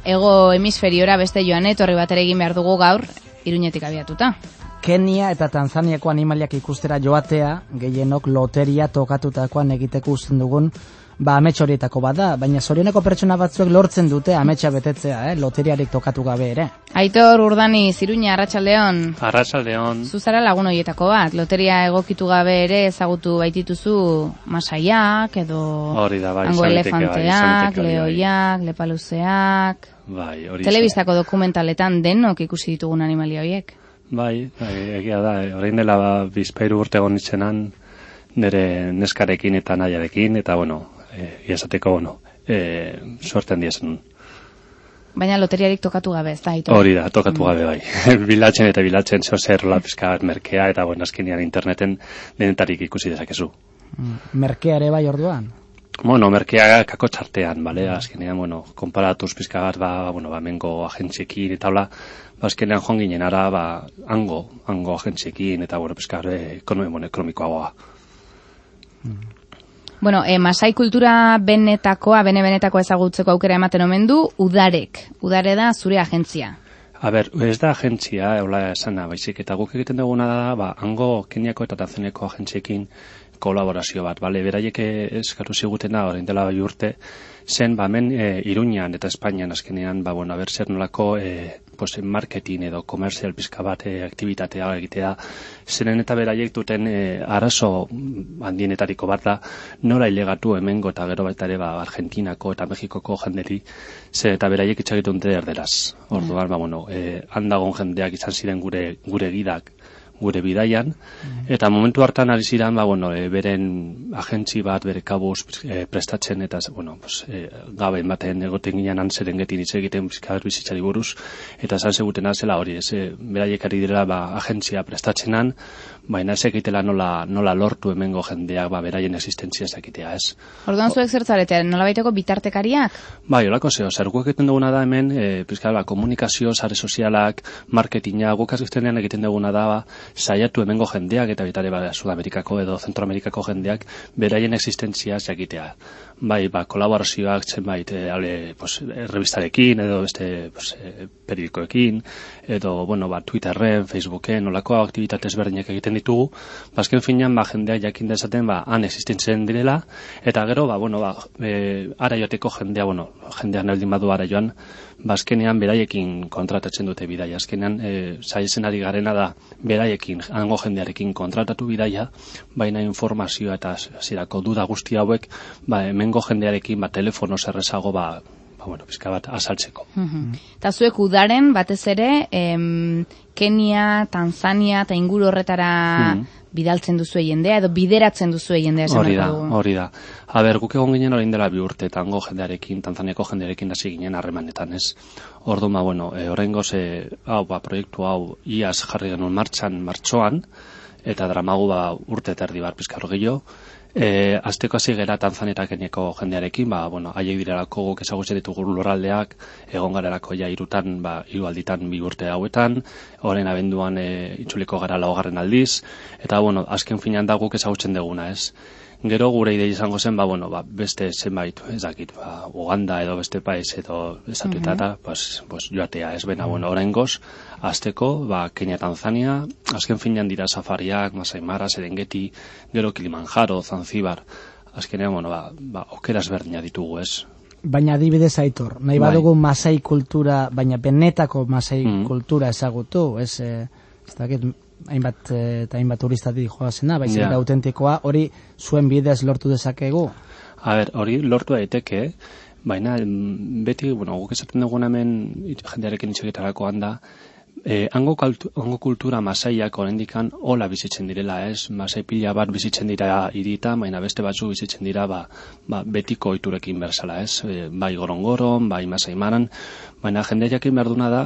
hego hemisferiora beste joan etorri bat ere egin behar dugu gaur, Iruñetik abiatuta. Kenia eta Tanzaniako animaliak ikustera joatea, gehienok loteria tokatutakoan egiteko uzten dugun, amets horietako bada, baina zorioneko pertsona batzuek lortzen dute ametsa betetzea, loteriarik tokatu gabe ere. Aitor Urdani, Iruña, arratsaldeon. Arratsaldeon. Zuzara lagun horietako bat, loteria egokitu gabe ere ezagutu baitituzu masaiak, edo hango elefanteak, lehoiak, lepaluzeak, telebistako dokumentaletan denok ikusi ditugun animalia horiek. Bai, egia da, orain dela bizpahiru urte egon nitzenan, nire neskarekin eta nahiarekin, eta iazateko, suerten diezen. Baina loteriarik tokatu gabe, ez da? Hori da, tokatu gabe bai. Bilatzen eta bilatzen, zer pizka merkea, eta azkenean interneten denetarik ikusi dezakezu. Merkea ere bai orduan? Merkea kako txartean, bale? Azkenean, konparatuz pizka bat, mengo agentziekin, eta azkenean joan ginen ara, hango agentziekin, eta pizka ekonomikoagoa. Masai kultura benetakoa ezagutzeko aukera ematen omen du, Udare da zure agentzia. Ez da agentzia, esana, baizik, eta guk egiten duguna da, hango Keniako eta Tanzaniako agentziekin kolaborazio bat, beraiek eskatu zigutena, orain dela bai urte, zen, hemen Iruñan eta Espainian azkenean, zer nolako marketing edo komerzial pizka bat aktibitatea egitea, zeren eta beraiek duten arazo handienetariko bat da, nola ilegatu hemengo eta gero baita ere Argentinako eta Mexikoko jenderi, zer eta beraiek itxagitun erderaz. Orduan, handagon jendeak izan ziren gure gidak, gure bidaian, eta momentu hartan ari ziren, beren agentzi bat, bere kabuz prestatzen, eta, gabe ematen egoten ginen Serengetin hitz egiten bizitzari buruz, eta esan segutena zela hori, beraiek ari direla agentzia prestatzenan, baina ez egitela nola lortu hemengo jendeak beraien existentzia ez egitea, ez. Orduan zuek zertzarete, nola baiteko bitartekariak? Bai, holako guk egiten duguna da hemen, komunikazio, sare sozialak, marketinga, guk azkenean egiten duguna da, saiatu hemengo jendeak eta bitare Sudamerikako edo Zentroamerikako jendeak beraien existentzia egitea. Bai, kolaborazioak zenbait revistarekin edo beste periodikoekin edo Twitterren, Facebooken, olako aktibitate ezberdinak egiten ditugu. Azken finean jendeak jakin dezaten han existentzen direla eta gero ara joateko jendeak naldin badu ara joan, azkenean beraiekin kontratatzen dute bidaia. Azkenean saiatzen ari garena da beraiekin, hango jendearekin kontratatu bidaia, baina informazioa eta zirako duda guzti hauek hemengo jendearekin telefono zerrezago pizka bat azaltzeko. Eta zuek Udaren batez ere Kenia, Tanzania eta inguru horretara bidaltzen duzu jendea edo bideratzen duzu jendea esan dugu. Hori da. Guk egon ginen orain dela 2 urte eta hango jendearekin, Tanzaniako jendearekin hasi ginen harremanetan, ez. Orduan oraingoz proiektu hau iaz jarri genuen martxoan eta dramagu urte eta erdi pizka gehiago. Azteko hasi gera Tanzania eta Keniako jendearekin, haiek direlako guk ezagutzen ditugu lurraldeak, egon garelako hirutan, 3 alditan 2 urte hauetan, orain abenduan itzuliko gara 4. aldiz, eta azken finean da guk ezagutzen duguna, ez. Gero gure idei izango zen, beste zenbait, ez dakit, Uganda edo beste país edo estatuetara, joatea, ez bena, oraingoz, azteko, Kenia, Tanzania, azken finean dira safariak, Masai Mara, Serengeti, gero Kilimanjaro, Zanzibar, azkenean, okeraz berdina ditugu, ez. Baina adibidez Aitor, nahi badugu Masai kultura, baina benetako Masai kultura ezagutu, ez dakit, hainbat turistatik joazena, baizik eta autentikoa, hori zuen bidez lortu dezakegu? Hori lortu daiteke, baina beti, guk esaten duguna hemen jendearekin itxegitarako handa, hango kultura Masaiak oraindikan hola bizitzen direla, ez? Masai pila bat bizitzen dira hiritan, baina beste batzu bizitzen dira betiko ohiturekin berzala, ez? Bai Gorongoron, bai Masai Maran, baina jende jakin behar duna da,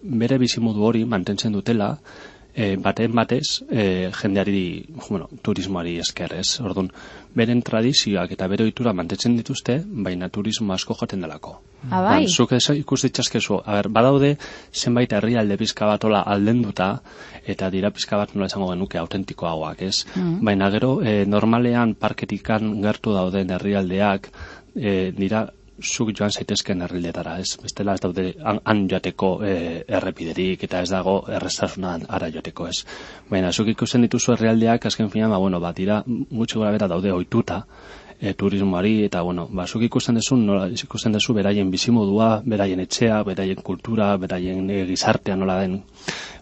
bere bizimodu hori mantentzen dutela, baten batez jendeari, turismoari esker, ez? Orduan, beren tradizioak eta bere ohitura mantentzen dituzte, baina turismo asko joaten delako. Bai? Zuk ikus ditzazkezu, badaude zenbait herrialde pizka bat hola aldenduta, eta dira pizka bat nola esango genuke autentikoagoak, ez? Baina gero, normalean parketikan gertu dauden herrialdeak, dira zuk joan zaitezken herrialdetara, ez? Bestela ez daude han joateko errepiderik eta ez dago erraztasuna ara joateko, ez? Baina zuk ikusten dituzu herrialdeak azken finean, dira gutxi gora bera daude ohituta turismoari eta zuk ikusten duzu beraien bizimodua, beraien etxea, beraien kultura, beraien gizartea nola den.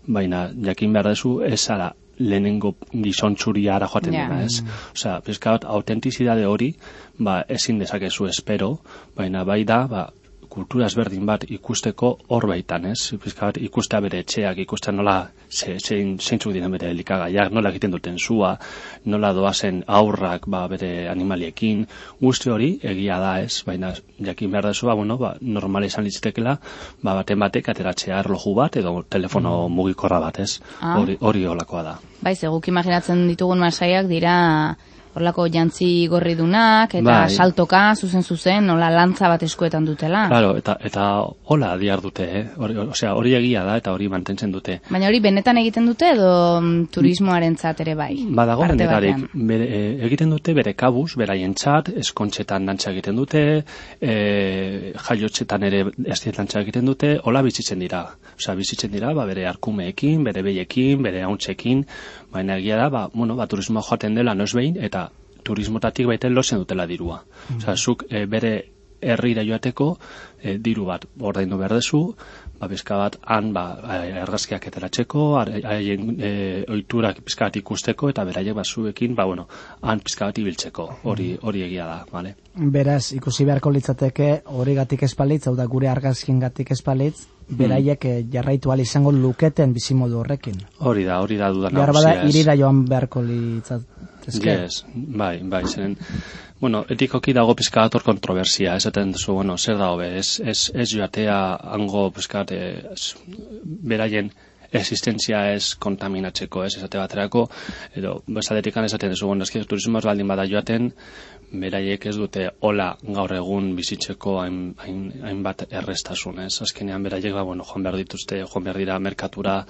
Baina jakin behar duzu ez zara lehenengo gizontzuria ara joaten dena, ez? Osea, pizka bat autentizidade hori, ezin dezakezu espero, baina bai da, kultura ezberdin bat ikusteko hor baitan, ez? Pizka bat ikustea bere etxeak, ikustea nola zeintzuk diren bere elikagaiak, nola egiten duten sua, nola doazen aurrak bere animaliekin, guzti hori egia da, ez? Baina jakin behar dezu, normala izan litzitekela, baten batek ateratzea erloju bat edo telefono mugikorra bat, ez? Hori holakoa da. Baiz, guk imaginatzen ditugun masaiak dira horlako jantzi gorridunak eta saltoka, zuzen, nola lantza bat eskuetan dutela. Claro, eta hola diar dute, osea, hori egia da eta hori mantentzen dute. Baina hori benetan egiten dute edo turismoarentzat ere bai? Badago benetarik, egiten dute bere kabuz, beraientzat, eskontxetan dantza egiten dute, jaiotxetan ere dantza egiten dute, hola bizitzen dira. Osea, bizitzen dira, bere arkumeekin, bere behiekin, bere hauntzekin, baina egia da, turismoa joaten dela noiz behin, eta turismotatik baiten lotzen dutela dirua. Osea, zuk bere herrira joateko diru bat ordaindu behar dezu, pizka bat han argazkiak ateratzeko, haien ohiturak pizka bat ikusteko eta beraiek zuekin, han pizka bat ibiltzeko. Hori egia da, bale? Beraz, ikusi beharko litzateke horigatik espalitz, hau da gure argazkiengatik espalitz, beraiek jarraitu ahal izango luketen bizimodu horrekin. Hori da dudan nagusia. Bada irira joan beharko litzateke. Yes, bai, zeren. Etikoki dago pizka bat hor kontroversia, esaten duzu, zer da hobe, ez joatea hango pizka bat beraien existentzia ez kontaminatzeko, ez esate baterako, edo besadetikan esaten duzu, turismoaz baldin bada joaten, beraiek ez dute hola gaur egun bizitzeko hainbat errestasun, ez? Azkenean beraiek joan behar dituzte, joan behar dira merkatura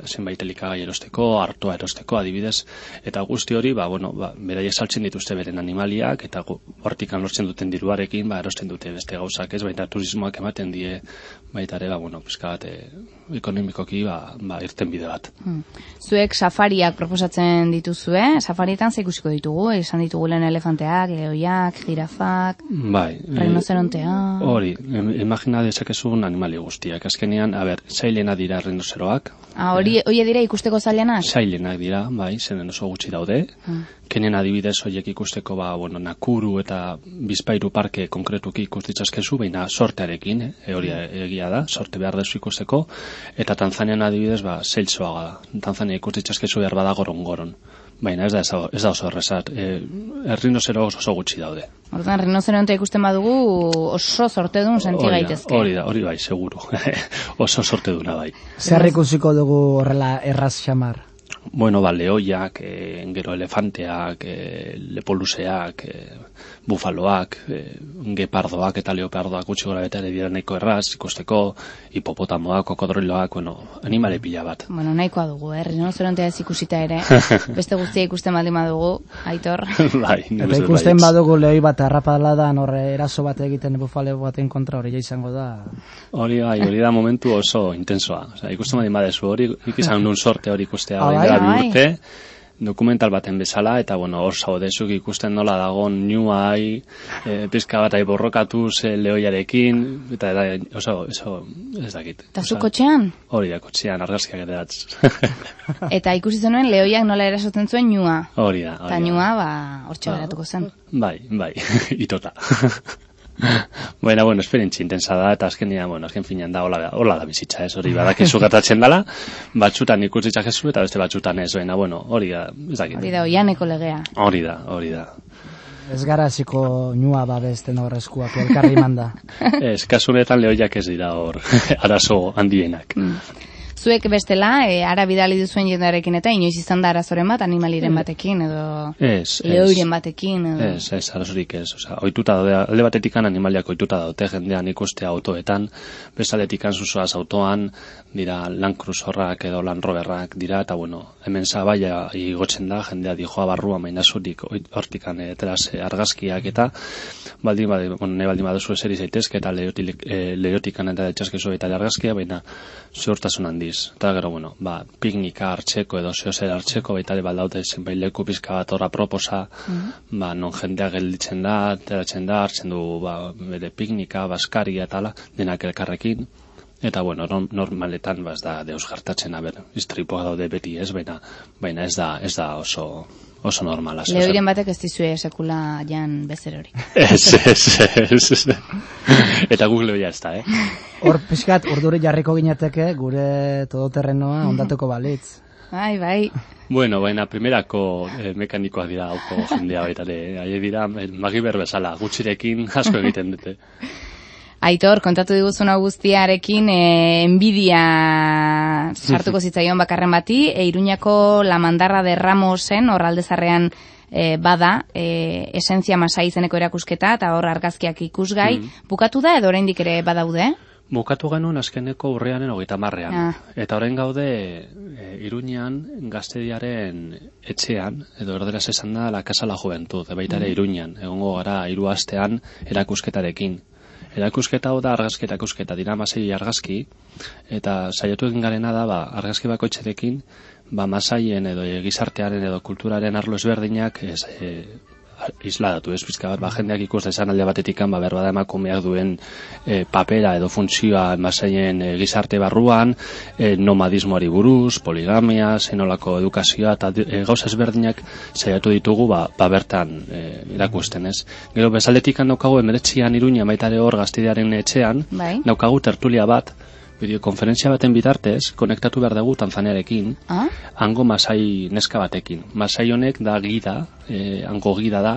zenbait elikagai erosteko, artoa erosteko adibidez, eta guzti hori, beraiek saltzen dituzte beren animaliak, eta hortikan lortzen duten diruarekin, erosten dute beste gauzak, ez? Baita turismoak ematen die, baita ere, pizka bat ekonomikoki irten bide bat. Zuek safariak proposatzen dituzue, safarietan ze ikusiko ditugu, esan ditugu lehen elefanteak, lehoiak, jirafak, rinoceronteak. Hori, imagina dezakezun animali guztiak. Azkenean, zailena dira rinoceroak. Hori dira ikusteko zailenak? Zailenak dira, zenen oso gutxi daude. Kenen adibidez horiek ikusteko, Nakuru eta Bizpairu parke konkretuki ikustitzazkezu, baina sortearekin, hori egia da, sorte behar dezu ikusteko, eta Tanzanian adibidez, zeltzoaga da. Tanzania ikustitzazkezu behar bada goron. Baina ez da oso errezat. Rhinocero oso gutxi daude. Orduan, rinocerontea ikusten badugu oso sortedun senti gaitezke. Hori bai, seguru. Oso sorteduna bai. Zer ikusiko dugu horrela erraz xamar? Lehoiak, gero elefanteak, lepoluseak, bufaloak, gepardoak eta leopardoak gutxi gora beta ere dira nahiko erraz, ikusteko, hipopotamoak, kokodriloak, animale pila bat. Nahikoa dugu, rinocerontea ez ikusita ere, beste guztia ikusten baldin badugu, Aitor. Eta ikusten badugu lehoi bat arrapaladan horre eraso bat egiten bufalo baten kontra hori izango da. Hori da momentu oso intensoa. Ikusten baldin badezu hori, ikizan nun sorte hori ikustea urte, dokumental baten bezala, eta hor zaudezuk ikusten nola dagon niuai, pizka bat borrokatuz lehoiarekin, eta oso ez dakit. Eta zu kotxean? Hori da, kotxean, argazkiak edatz. Eta ikusi zenuen lehoiak nola erasoten zuen niua. Hori da. Eta niua, hortxe beratuko zen. Bai, itota. Baina, esperientzi intensa da, eta azkenean, azken finean da, hola da bizitza, ez, hori badakizu gertatzen dela, batzutan ikusitzak ezu, eta beste batzutan ez, baina, hori da, ez dakit. Hori da, oianeko legea. Hori da. Ez gara hasiko nua babesten horrezkuak, elkarri manda. Ez, kasunetan lehoiak ez dira hor, arazo handienak. Zuek bestela, ara bidali duzuen jendearekin eta inoiz izan da arazoren bat animaliren batekin edo lehoiren batekin edo... Ez, arazorik ez. Oituta daude, alde batetikan animaliak oituta daute jendean ikustea autoetan, bestaletikan zuzoaz autoan, dira Land Cruiserrak edo Land Roverrak dira, eta bueno, hemen zabaia igotzen da, jendea dijoa barrua mainazurik hortikan eteraz argazkiak eta baldin baduzu eseri zaitezke eta lehotikan eta etxaskezu eta argazkia, baina ziurtasun handiz. Eta gero, bueno, piknika hartzeko edo zehozer hartzeko, baita ere baldaute zenbait leku pizka bat horra proposa, non jendea gelditzen da, teratzen da, hartzen du bere piknika, baskaria eta ala, denak elkarrekin. Eta, bueno, normaletan ez da deus gertatzen, istripoa daude beti ez, baina ez da oso normala. Lehoiren batek ez dizue sekula jan bezer hori. Ez. Eta guk lehoia ez da, Hor, pixkat, urduri jarriko ginateke, gure todoterrenoa ondatuko balitz. Bai. Bueno, baina primerako mekanikoak dira hauko jendea baita ere. Haie dira, magiber bezala, gutxirekin asko egiten dute. Aitor, kontatu diguzuna guztiarekin, enbidia sartuko zitzaion bakarren bati, Iruñako La Mandarra de Ramosen, hor aldezarrean bada, esentzia Masai izeneko erakusketa, eta hor argazkiak ikusgai, bukatu da edo oraindik ere badaude? Bukatu genuen azkeneko urriaren 30. Eta orain gaude Iruñan Gaztediaren etxean, edo erderaz esan da La Casa la Juventud, baita ere Iruñan, egongo gara 3 astean erakusketarekin. Erakusketa hau da argazki erakusketa, dira 6 argazki, eta saiatu egin garena da, argazki bakoitzerekin, Masaien edo gizartearen edo kulturaren arlo ezberdinak isladatu, pizka bat, jendeak ikus dezan alde batetikan, berbada emakumeak duen papera edo funtzioa Masaien gizarte barruan, nomadismoari buruz, poligamia, zenolako edukazioa, eta gauza ezberdinak saiatu ditugu, bertan erakusten, ez. Gero, bezaldetikan daukagu, 19 Iruña, baitare hor Gaztedearen etxean, daukagu tertulia bat, bideokonferentzia baten bitartez, konektatu behar dugu Tanzaniarekin, hango Masai neska batekin. Masai honek da gida, hango gida da,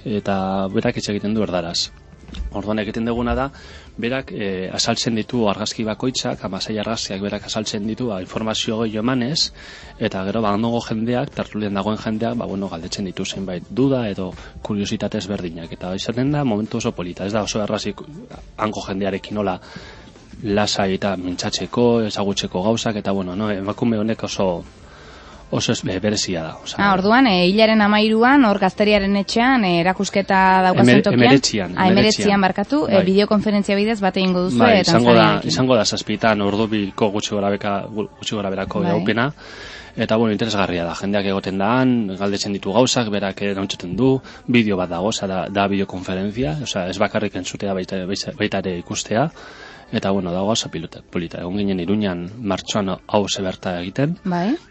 eta berak hitz egiten du erdaraz. Orduan egiten duguna da, berak azaltzen ditu argazki bakoitzak, Masai argazkiak berak azaltzen ditu, informazio gehiago emanez, eta gero hango jendeak, tertulian dagoen jendeak, galdetzen ditu zenbait duda edo kuriositatez berdinak. Eta izaten da, momentu oso polita, ez da oso errazik hango jendearekin nola lasai eta mintzatzeko, ezagutzeko gauzak, eta emakume honek oso berezia da. Orduan, hilaren 13an, hor Gazteriaren etxean, erakusketa daukazen tokian. Emeretzian barkatu, bideokonferentzia bidez bat egingo duzu. Izango da 7 ordubiko gutxi gora berako gaupena, eta interesgarria da, jendeak egoten daan, galdetzen ditu gauzak, berak erantzuten du, bideo bat dago, da bideokonferentzia, ez bakarrik entzutea baita ere ikustea, eta dago gauza polita. Egon ginen Iruñan martxoan hau zeberta egiten,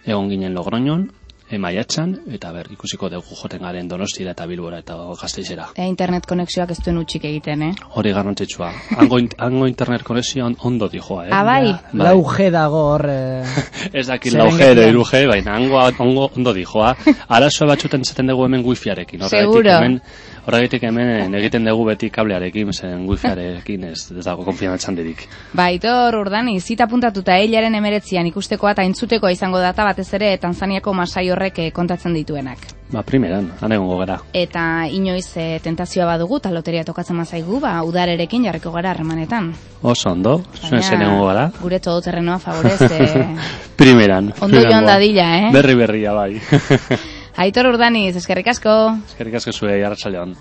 egon ginen Logroñon, maiatzan, eta ikusiko dugu joten garen Donostira eta Bilbora eta Gasteizera. Internet konexioak ez duen utxik egiten, Hori garrantzitsua. Hango internet konexioa ondo dijoa, bai? 4G dago hor... Ez dakit 4G edo 4G, baina hango ondo dijoa. Arazoa batxuten zaten dugu hemen wifiarekin. Seguro. Horregatik hemen egiten dugu beti kablearekin, zen wifiarekin ez dago konfiantzan dirik. Aitor, Urdani, zita puntatuta hilaren 19an ikustekoa eta entzutekoa izango data batez ere Tanzaniako Masai horrek kontatzen dituenak. Primeran, han egongo gara. Eta inoiz tentazioa badugu, eta loteria tokatzen mazaigu, udarerekin jarriko gara harremanetan. Oso ondo, zuen zen egongo gara. Gure todoterrenoa favorez. Primeran. Ondo joan dadila, Berria, bai. Aitor Urdaniz, eskerrik asko. Eskerrik asko zuei, arratsaldeon.